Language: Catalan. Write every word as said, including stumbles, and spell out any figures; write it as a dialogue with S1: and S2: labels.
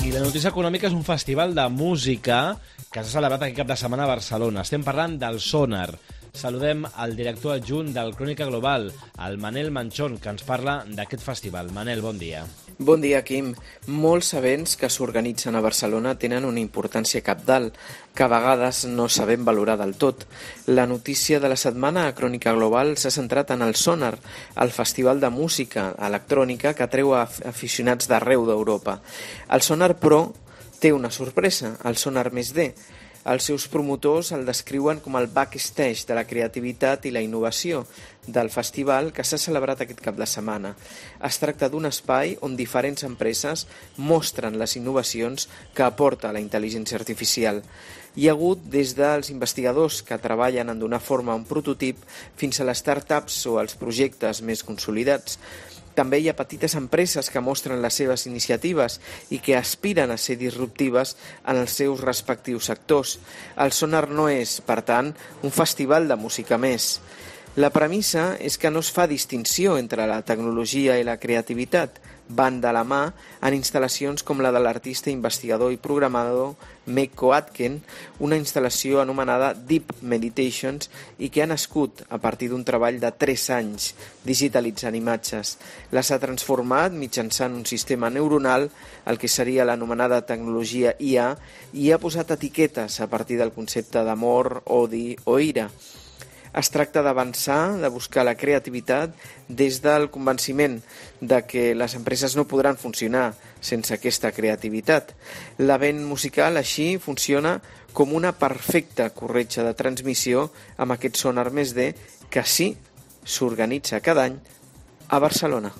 S1: I la notícia econòmica és un festival de música que s'ha celebrat aquest cap de setmana a Barcelona. Estem parlant del Sonar. Saludem al director adjunt del Crònica Global, el Manel Manchón, que ens parla d'aquest festival. Manel, bon dia.
S2: Bon dia, Quim. Molts events que s'organitzen a Barcelona tenen una importància cabdal, que a vegades no sabem valorar del tot. La notícia de la setmana a Crònica Global s'ha centrat en el Sonar, el festival de música electrònica que atreu a aficionats d'arreu d'Europa. El Sonar, però, té una sorpresa, el Sonar més D. Els seus promotors el descriuen com el backstage de la creativitat i la innovació del festival que s'ha celebrat aquest cap de setmana. Es tracta d'un espai on diferents empreses mostren les innovacions que aporta la intel·ligència artificial. Hi ha hagut des dels investigadors que treballen en donar forma a un prototip fins a les startups o els projectes més consolidats. També hi ha petites empreses que mostren les seves iniciatives i que aspiren a ser disruptives en els seus respectius sectors. El Sonar no és, per tant, un festival de música més. La premissa és que no es fa distinció entre la tecnologia i la creativitat. Van de la mà en instal·lacions com la de l'artista, investigador i programador Meko Atken, una instal·lació anomenada Deep Meditations i que ha nascut a partir d'un treball de tres anys digitalitzant imatges. Les ha transformat mitjançant un sistema neuronal, el que seria l'anomenada tecnologia I A, i ha posat etiquetes a partir del concepte d'amor, odi o ira. Es tracta d'avançar, de buscar la creativitat des del convenciment de que les empreses no podran funcionar sense aquesta creativitat. L'event musical així funciona com una perfecta corretja de transmissió amb aquest Sonar més D que sí s'organitza cada any a Barcelona.